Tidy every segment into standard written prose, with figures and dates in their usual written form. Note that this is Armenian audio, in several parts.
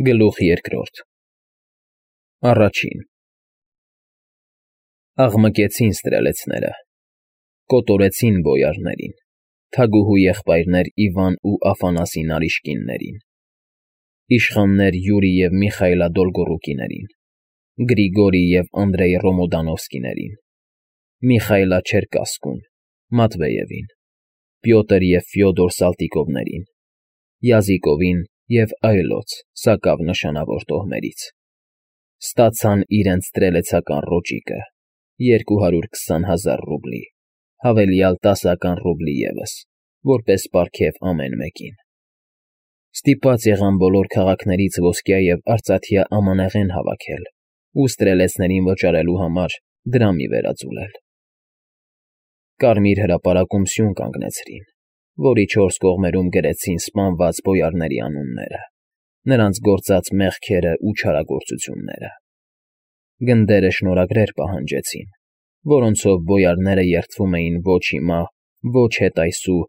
Գլուխ երկրորդ Առաջին Աղմկեցին ստրելեցները, կոտորեցին բոյարներին, թագուհու եղբայրներ Իվան ու Աֆանասի նարիշկիններին, իշխաններ Յուրի և Միխայիլա Դոլգոռուկիներին, Գրիգորի և Անդրեյ Ռոմոդանովսկիներին, Միխայիլա Չերկասկուն, Մատվեևին, Պյոտր և Ֆյոդոր Սալտիկովներին, Յազիկովին և այլոց սակավ նշանավոր տոհմերից, ստացան իրենց ստրելեցական ռոճիկը, 220,000 ռուբլի, հավելյալ 10 ռուբլի ևս, որպես պարգև ամեն մեկին. ստիպված եղան բոլոր քաղաքներից ոսկյա և արծաթյա ամանեղեն հավաքել ու ստրելեցներին վճարելու համար դրամի վերաձուլել. Կարմիր հրապարակում սյուն կանգնեցրին, որի 4 կողմերում գրեցին սպանված բոյարների անունները, նրանց գործած մեղքերն ու չարագործությունները, գնդերը շնորհագրեր պահանջեցին, որոնցով բոյարները երդվում էին ոչ հիմա, ոչ հետայսու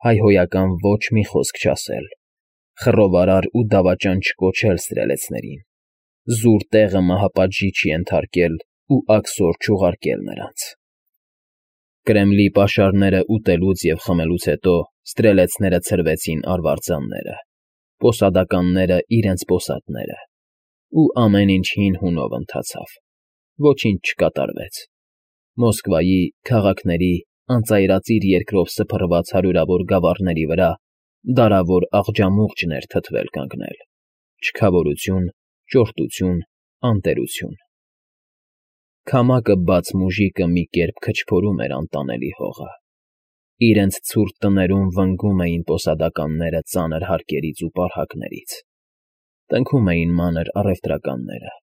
հայհոյական ոչ մի խոսք չասել, խռովարար ու դավաճան չկոչել ստրելեցներին, զուր տեղը մահապատժի չենթարկել ու աքսոր չուղարկել նրանց. Կրեմլի պաշարները ուտելուց և խմելուց հետո ստրելեցները ցրվեցին արվարձանները, պոսադականները իրենց պոսատները, ու ամեն ինչ հին հունով ընթացավ, ոչինչ չկատարվեց, Մոսկվայի, քաղաքների, անծայրածիր երկրով սփռված հարյուրավոր գավառների վրա դարավոր աղջամուղջն էր թթվել կանգնել, չքավորություն, ճորտություն, անտերություն. Քամակը բաց մուժիկը մի կերպ քչփորում էր անտանելի հողը, իրենց ցուրտ տներում վնգում էին պոսադականները ծանր հարկերից ու պառակներից, տնքում էին մանր առևտրականները,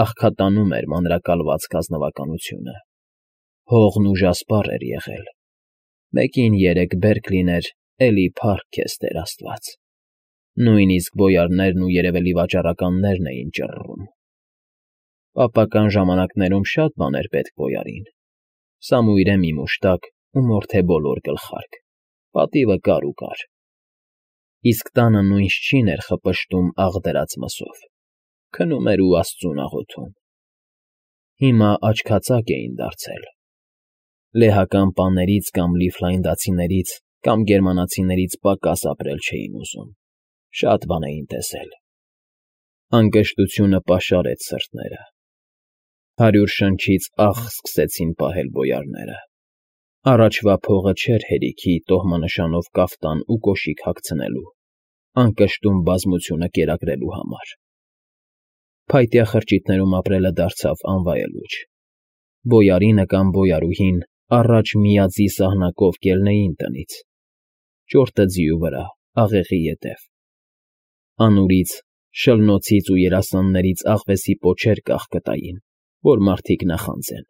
աղքատանում էր մանրակալվածք ազնվականությունը, հողն ուժասպառ էր եղել, մեկին 3 բերք լիներ, էլի փառք քեզ Տեր աստված, նույնիսկ բոյարներն ու երևելի վաճառականներն էին ճռռում. Պապական ժամանակներում շատ բաներ պետք բոյարին, Սամույրե մի մուշտակ ու մորթե բոլոր գլխարկ, պատիվը կար ու կար, իսկ տանը նույն շչին էր խպշտում աղ դրած մսով, քնում էր ու աստծուն աղոթում. Հիմա աչքածակ էին դարձել, լեհական պաներից կամ լիֆլանդացիներից կամ գերմանացիներից պակաս ապրել չէին ուզում, շատ բան էին տեսել, անկշտությունը պաշարեց սրտները, 100 շնչից աղ սկսեցին պահել բոյարները, առաջվա փողը չէր հերիքի տոհմանշանով կաֆտան ու կոշիկ հագցնելու, անկշտում բազմությունը կերակրելու համար, փայտյա խրճիթներում ապրելը դարձավ անվայելուչ, բոյարինը կամ բոյարուհին առաջ միաձի սահնակով կելնեին տնից, ճորտը ձիու վրա, աղեղի ետև, անուրից, շլնոցից ու երասաններից աղվեսի պոչեր կախկտային, որ մարդիկ նախանձեն,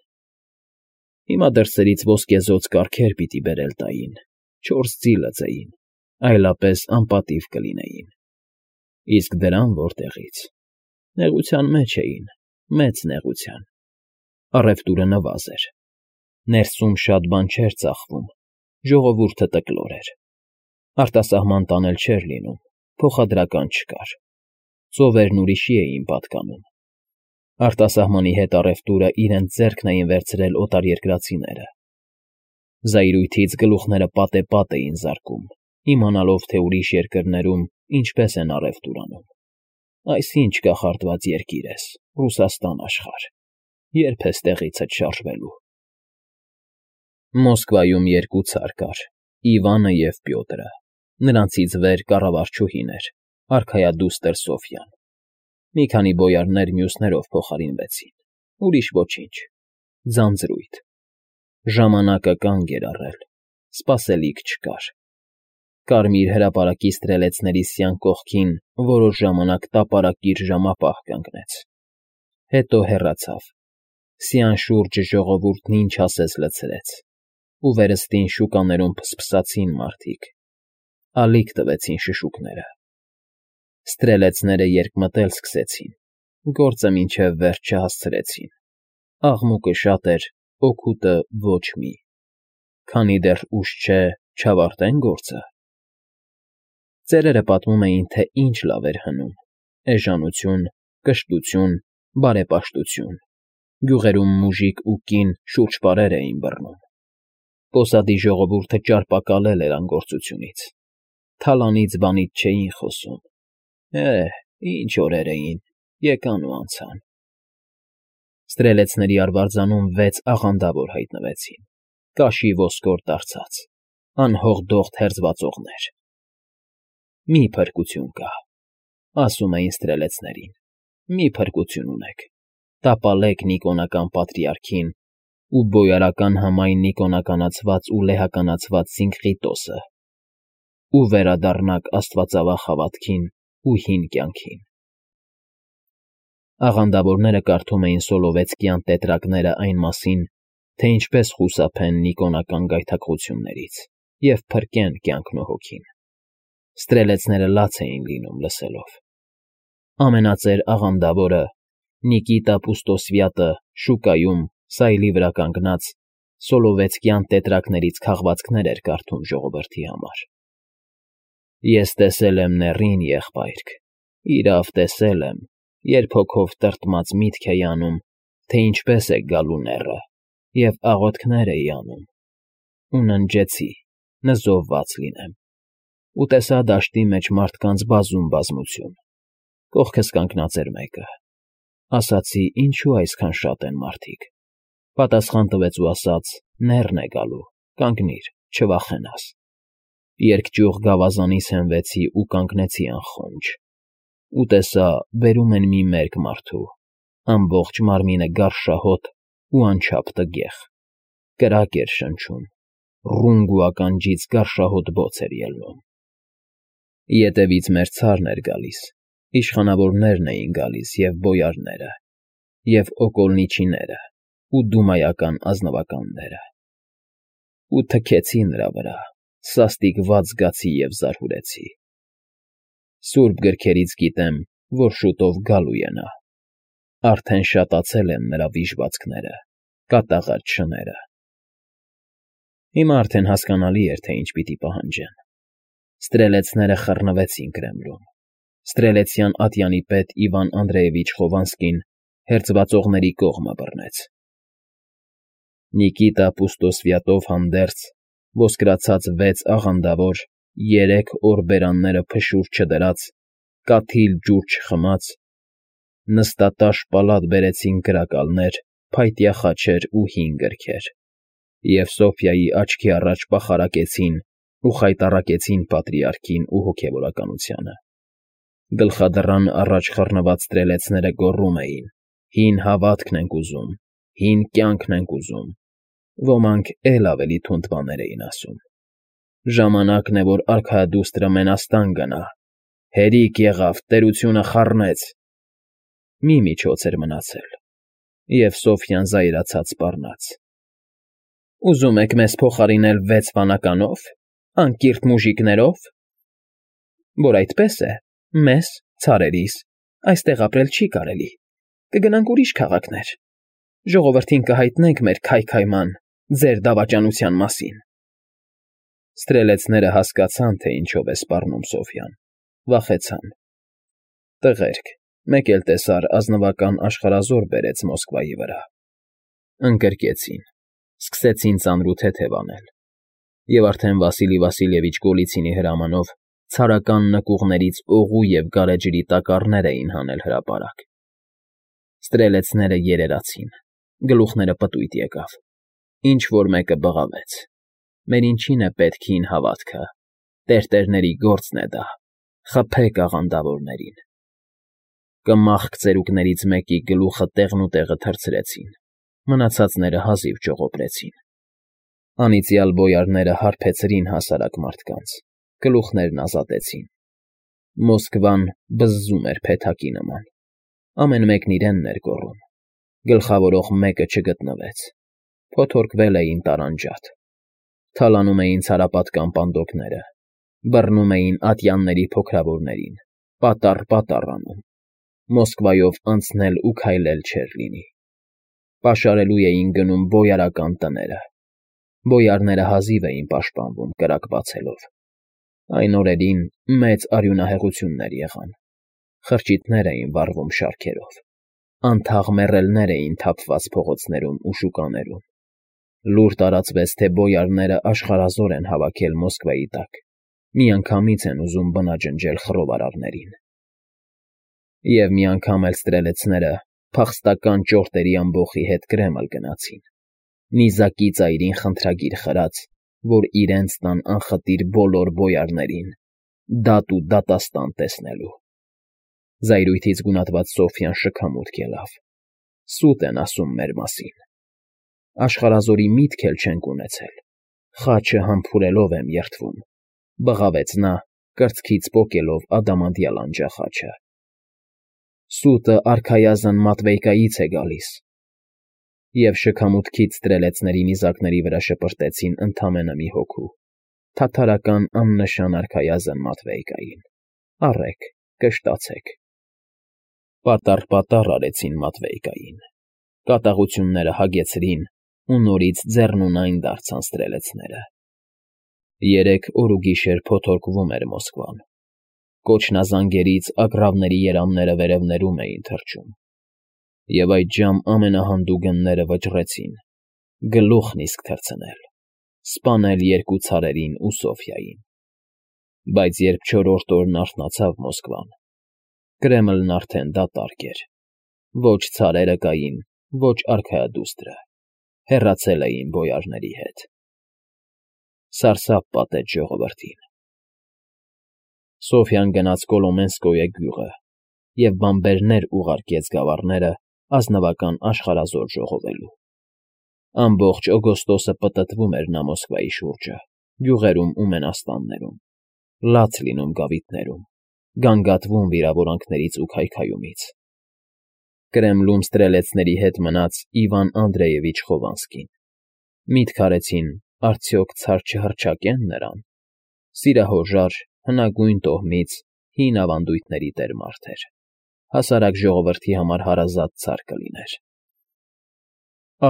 հիմա դրսերից ոսկեզօծ կառքեր պիտի բերել տային, 4 ձի լծեին, այլապես անպատիվ կլինեին, իսկ դրան որտեղից, նեղության մեջ էին, մեծ նեղության, առևտուրը նվազ էր, ներսում շատ բան չէր ծախվում, ժողովուրդը տկլոր էր, արտասահման տանել չէր լինում, փոխադրական չկար, ծովերն ուրիշի էին պատկանում, արտասահմանի հետ առևտուրը իրենց ձեռքն էին վերցրել օտարերկրացիները, զայրույթից գլուխները պատեպատ էին զարկում, իմանալով, թե ուրիշ երկրներում ինչպես են առևտուր անում, այսինչ կախարդված երկիր ես, Ռուսաստան աշխարհ, երբ ես տեղիցդ շարժվելու: Մոսկվայում 2 ցար կար, Իվանը և Պյոտրը, նրանցից վեր կառավարչուհին էր, արքայադուստր Սոֆյան, մի քանի բոյարներ մյուսներով փոխարինվեցին, ուրիշ ոչինչ, ձանձրույթ, ժամանակը կանգ էր առել, սպասելիք չկար, Կարմիր հրապարակի ստրելեցների սյան կողքին որոշ ժամանակ տապարակիր ժամապահ կանգնեց, հետո հեռացավ, սյան շուրջը ժողովուրդն ինչ ասես լցրեց, ու վերստին շուկաներում փսփսացին մարդիկ, ալիք տվեցին շշուկները, ստրելեցները երկմտել սկսեցին, գործը մինչև վերջ չհասցրեցին, աղմուկը շատ էր, օգուտը ոչ մի, քանի դեռ ուշ չէ, չավարտեն գործը: Ծերերը պատմում էին, թե ինչ լավ էր հնում, էժանություն, կշտություն, բարեպաշտություն, գյուղերում մուժիկ ու կին շուրջպարեր էին բռնում։ Պոսադի ժողովուրդը ճարպակալել էր անգործությունից, թալանից բանից չէին խոսում։ Ինչ օրեր էին, եկան ու անցան։ Ստրելեցների արվարձանում 6 աղանդավոր հայտնվեցին, կաշի ոսկոր դարձած, անհողդող թերձվածողներ։ Մի փրկություն կա, ասում էին ստրելեցներին, մի փրկություն ունեք, տապալեք Նիկոնական պատրիարքին ու բոյարական համայն նիկոնականացված ու լեհականացված Սինկղիտոսը ու վերադառնաք աստվածավախ հավատքին ու հին կյանքին։ Աղանդավորները կարդում էին Սոլովեցկյան տետրակները այն մասին, թե ինչպես խուսափեն նիկոնական գայթակղություններից և փրկեն կյանքն ու հոգին։ Ստրելեցները լաց էին լինում լսելով։ Ամենածեր աղանդավորը Նիկիտա Պուստոսվյատը շուկայում սայլի վրա կանգնած Սոլովեցկյան տետրակներից քաղվածքներ էր կարդում ժողովրդի համար։ Ես տեսել եմ նեռին, եղբայրք, իրավ տեսել եմ, երբ հոգով տրտմած միտք էի անում, թե ինչպես է գալու նեռը, և աղոթքներ էի անում, ու ննջեցի, նզովված լինեմ, ու տեսա դաշտի մեջ մարդկանց բազում բազմություն, կողքս կանգնած էր մեկը, ասացի, ինչու այսքան շատ են մարդիկ, պատասխան տվեց ու ասաց, նեռն է գալու, կանգնիր, չվախենաս, երկճյուղ գավազանիս հենվեցի ու կանգնեցի անխոնջ, ու տեսա, բերում են մի մերկ մարդու, ամբողջ մարմինը գարշահոտ ու անչափ տգեղ, կրակ էր շնչում, ռունգ ու ականջից գարշահոտ բոց էր ելնում։ Ետևից մեր ցարն էր գալիս, իշխանավորներն էին գալիս և բոյարները, և օկոլնիչիները ու դումայական ազնվականները։ Ու թքեցի նրա վրա, սաստիկված զգացի և զարհուրեցի։ Սուրբ գրքերից գիտեմ, որ շուտով գալու է նա, արդեն շատացել են նրա վիժվածքները, կատաղած շները։ Հիմա արդեն հասկանալի էր, թե ինչ պիտի պահանջեն։ Ստրելեցները խռնվեցին Կրեմլում։ Ստրելեցյան ատյանի պետ Իվան Անդրեևիչ Խովանսկին հերձվածողների կողմը բռնեց։ Նիկիտա Պուստոսվյատով հանդերձ ոսկրացած 6 աղանդավոր, 3 օր բերանները փշուր չդրած, կաթիլ ջուր չխմած, նստատաշ պալատ բերեցին կրակալներ, փայտյա խաչեր ու հին գրքեր, և Սոֆյայի աչքի առաջ պախարակեցին ու խայտառակեցին պատրիարքին ու հոգևորականությանը։ Գլխադռան առաջ խռնված ստրելեցները գոռում էին. «Հին հավատքն ենք ուզում, հին կյանքն ենք ուզում», ոմանք էլ ավելի թունդ բաներ էին ասում։ Ժամանակն է, որ արքայադուստրը մենաստան գնա, հերիք եղավ, տերությունը խառնեց։ Մի միջոց էր մնացել, և Սոֆյան զայրացած սպառնաց. «Ուզում եք մեզ փոխարինել 6 վանականով, անկիրթ մուժիկներով, որ այդպես է, մեզ, ցարերիս, այստեղ ապրել չի կարելի, կգնանք ուրիշ քաղաքներ, ժողովրդին կհայտնենք մեր քայքայման, ձեր դավաճանության մասին»։ Ստրելեցները հասկացան, թե ինչով է սպառնում Սոֆյան, վախեցան։ Տղերք, մեկ էլ տեսար ազնվական աշխարհազոր բերեց Մոսկվայի վրա։ Ընկրկեցին, սկսեցին ծանրութեթև անել, և արդեն Վասիլի Վասիլևիչ Գոլիցինի հրամանով ցարական նկուղներից օղու և գարեջրի տակառներ էին հանել հրապարակ։ Ստրելեցները երերացին, գլուխները պտույտ եկավ, ինչ֊որ մեկը բղավեց. «Մեր ինչին է պետք հին հավատքը, տերտերների գործն է դա, խփեք աղանդավորներին»։ Կմախք ծերուկներից մեկի գլուխը տեղնուտեղը թռցրեցին, մնացածները հազիվ ճողոպրեցին։ Անիծյալ բոյարները հարբեցրին հասարակ մարդկանց, գլուխներն ազատեցին։ Մոսկվան բզզում էր փեթակի նման, ամեն մեկն իրենն էր գոռում, գլխավորող մեկը չգտնվեց, փոթորկվել էին տարանջատ, թալանում էին ցարապատկան պանդոկները, բռնում էին ատյանների փոքրավորներին, պատառ անում, Մոսկվայով անցնել ու քայլել չէր լինի։ Պաշարելու էին գնում բոյարական տները, բոյարները հազիվ էին պաշտպանվում կրակ բացելով։ Այն օրերին մեծ արյունահեղություններ եղան, խրճիթներ էին վառվում շարքերով, անթաղ մեռելներ էին թափված փողոցներում ու շուկաներում։ Լուր տարածվեց, թե բոյարները աշխարհազոր են հավաքել Մոսկվայի տակ, միանգամից են ուզում բնաջնջել խռովարարներին։ Եվ մի անգամ էլ ստրելեցները փախստական ճորտերի ամբոխի հետ Կրեմլ գնացին, նիզակի ծայրին խնդրագիր խրած, որ իրենց տան անխտիր բոլոր բոյարներին դատ ու դատաստան տեսնելու։ Զայրույթից գունատված Սոֆյան շքամուտք ելավ։ Սուտ են ասում մեր մասին։ Աշխարհազորի միտք էլ չենք ունեցել։ Խաչը համբուրելով եմ երդվում, բղավեց նա, կրծքից պոկելով ադամանդյալ անջախաչը։ Սուտը արքայազն Մատվեյկայից է գալիս։ Եվ շքամուտքից ստրելեցների նիզակների վրա շպրտեցին ընդամենը մի հոգու, թաթարական աննշան արքայազն Մատվեյկային։ Առեք, կշտացեք։ Պատառ արեցին Մատվեյկային, կատաղությունները հագեցրին ու նորից ձեռնունայն դարձան ստրելեցները։ 3 օր ու գիշեր փոթորկվում էր Մոսկվան։ Կոչնազանգերից ագռավների երամները վերևներում էին թռչում։ Եվ այդժամ ամենահանդուգնները վճռեցին, գլուխն իսկ թռցնել, սպանել 2 ցարերին ու Սոֆյային։ Բայց երբ 4-րդ օրն արթնացավ Մոսկվան, Կրեմլն արդեն դատարկ էր։ Ոչ ցարերը կային, ոչ արքայադուստրը, հեռացել էին բոյարների հետ։ Սարսափ պատեց ժողովրդին։ Սոֆյան գնաց Կոլոմենսկոյե գյուղը և բանբերներ ուղարկեց գավառները ազնվական աշխարհազոր ժողովելու։ Ամբողջ օգոստոսը պտտվում էր նա Մոսկվայի շուրջը, գյուղերում ու մենաստաններում, լաց լինում գավիթներում, գանգատվում վիրավորանքներից ու քայքայումից։ Կրեմլում ստրելեցների հետ մնաց Իվան Անդրեևիչ Խովանսկին։ Միտք արեցին, արդյոք ցար չհռչակեն նրան։ Սիրահորժար, հնագույն տոհմից հին ավանդույթների տեր մարդ էր։ Հասարակ ժողովրդի համար հարազատ ցար կլիներ։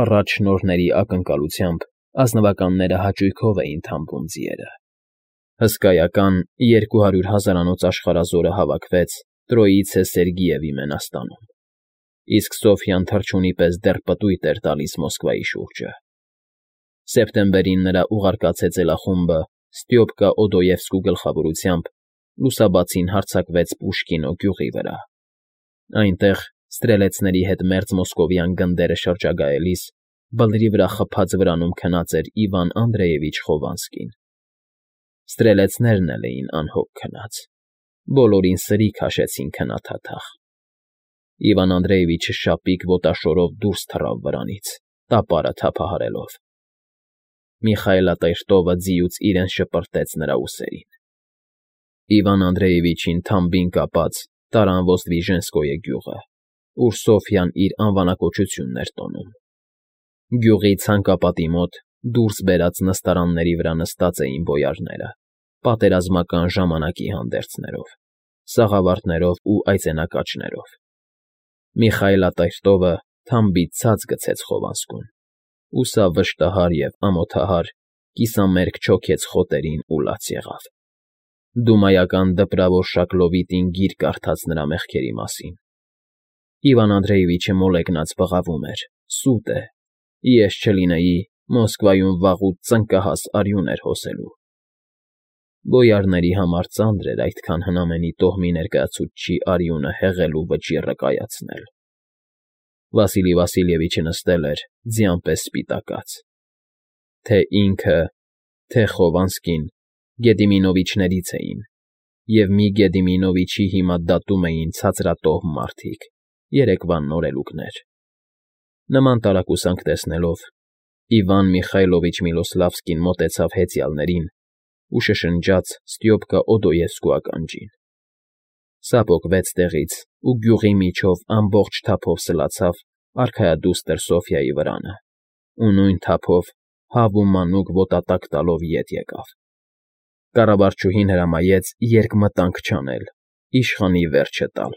Առաջ շնորհների ակնկալությամբ ազնվականները հաճույքով էին թամբում ձիերը։ Հսկայական 200 հազարանոց աշխարհազորը հավաքվեց Տրոիցե Սերգիևի մենաստանում, իսկ Սոֆյան թռչունի պես դեռ պտույտ էր տալիս Մոսկվայի շուրջը։ Սեպտեմբերին նրա ուղարկած հեծելախումբը Ստյոպկա Օդոևսկու գլխավորությամբ լուսաբացին հարձակվեց Պուշկինո գյուղի վրա։ Այնտեղ ստրելեցների հետ մերձ մոսկովյան գնդերը շրջագայելիս բլրի վրա խփած վրանում քնած էր Իվան Անդրեևիչ Խովանսկին։ Ստրելեցներն էլ էին անհոգ քնած, բոլորին սրի քաշեցին քնաթաթախ։ Իվան Անդրեևիչը շապիկ ոտաշորով դուրս թռավ վրանից, տապարը թափահարելով։ Միխայելատերտովը ձիուց իրեն շպրտեց նրա ուսերին։ Իվան Անդրեևիչին թամբին կապած տարան Ոստվիժենսկոյե գյուղը, ուր Սոֆյան իր անվանակոչությունն էր տոնում։ Գյուղի ցանկապատի մոտ դուրս բերած նստարանների վրա նստած էին բոյարները, պատերազմական ժամանակի հանդերձներով, սաղավարտներով ու այծենակաճներով։ Միխայելատերտովը թամբից ցած գցեց Խովանսկուն, ու սա վշտահար և ամոթահար կիսամերկ չոքեց խոտերին ու լաց եղավ։ Դումայական դպրավոր Շակլովիտին գիրք կարդաց նրա մեղքերի մասին։ Իվան Անդրեևիչը մոլեգնած բղավում էր. «Սուտ է, ես չլինեի, Մոսկվայում վաղուց ծնկահաս արյուն էր հոսելու»։ Բոյարների համար ծանր էր այդքան հնամենի տոհմի ներկայացուցչի արյունը հեղել ու վճիռը կայացնել։ Վասիլի Վասիլևիչը նստել էր ձյան պես սպիտակած։ Թե ինքը, թե Խովանսկին Գեդիմինովիչներից էին, և մի Գեդիմինովիչի հիմա դատում էին ցածրատոհմ մարդիկ, երեկվա նորելուկներ։ Նման տարակուսանք տեսնելով Իվան Միխայլովիչ Միլոսլավսկին մոտեցավ հեծյալներին ու շշնջաց Ստյոպկա Օդոևսկու ականջին։ Սա պոկվեց տեղից ու գյուղի միջով ամբողջ թափով սլացավ արքայադուստր Սոֆյայի վրանը, ու նույն թափով հավ ու մանուկ ոտատակ տալով ետ եկավ։ Կառավարչուհին հրամայեց երկմտանք չանել, իշխանի վերջը տալ։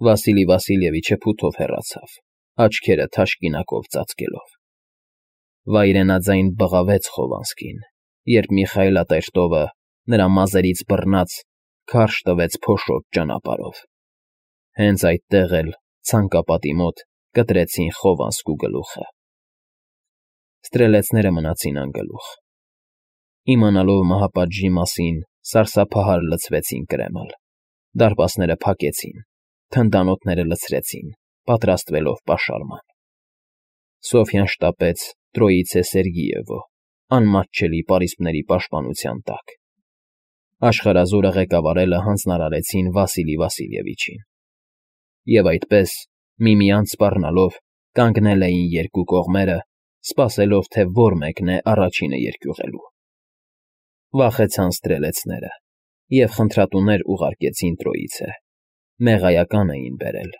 Վասիլի Վասիլևիչը փութով հեռացավ, աչքերը թաշկինակով ծածկելով։ Վայրենաձայն բղավեց Խովանսկին, երբ Միխայելատերտովը նրա մազերից բռնած քարշ տվեց փոշոտ ճանապարհով։ Հենց այդտեղ էլ, ցանկապատի մոտ, կտրեցին Խովանսկու գլուխը։ Ստրելեցները մնացին անգլուխ։ Իմանալով մահապատժի մասին, սարսափահար լցվեցին կրեմալ, դարպասները փակեցին, թնդանոթները լցրեցին, պատրաստվելով պաշարման։ Սոֆյան շտապեց Տրոիցե Սերգիևո, անմատչելի պարիսպների պաշտպանության տակ։ Աշխարհազորը ղեկավարելը հանձնարարեցին Վասիլի Վասիլևիչին։ Եվ այդպես, միմյանց սպառնալով, կանգնել էին երկու կողմերը, սպասելով, թե որ մեկն է առաջինը երկյուղելու։ Վախեցան ստրելեցները և խնդրատուներ ուղարկեցին Տրոիցե, մեղայական էին բերել։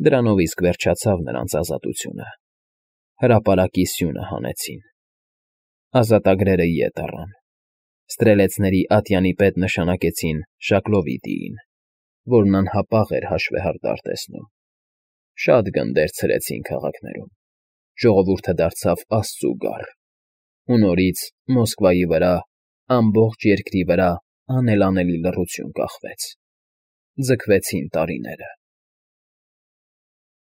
Դրանով իսկ վերջացավ նրանց ազատությունը։ Հրապարակի սյունը հանեցին։ Ազատագրերը ետ առան։ Ստրելեցների ատյանի պետ նշանակեցին Շակլովիդիին, որն անհապաղ էր հաշվեհարդար տեսնում։ Շատ գնդեր ցրեցին քաղաքներում։ Ժողովուրդը դարձավ աստծու գառ։ Ու նորից Մոսկվայի վրա, ամբողջ երկրի վրա անելանելի լռություն կախվեց։ Ձգվեցին տարիները։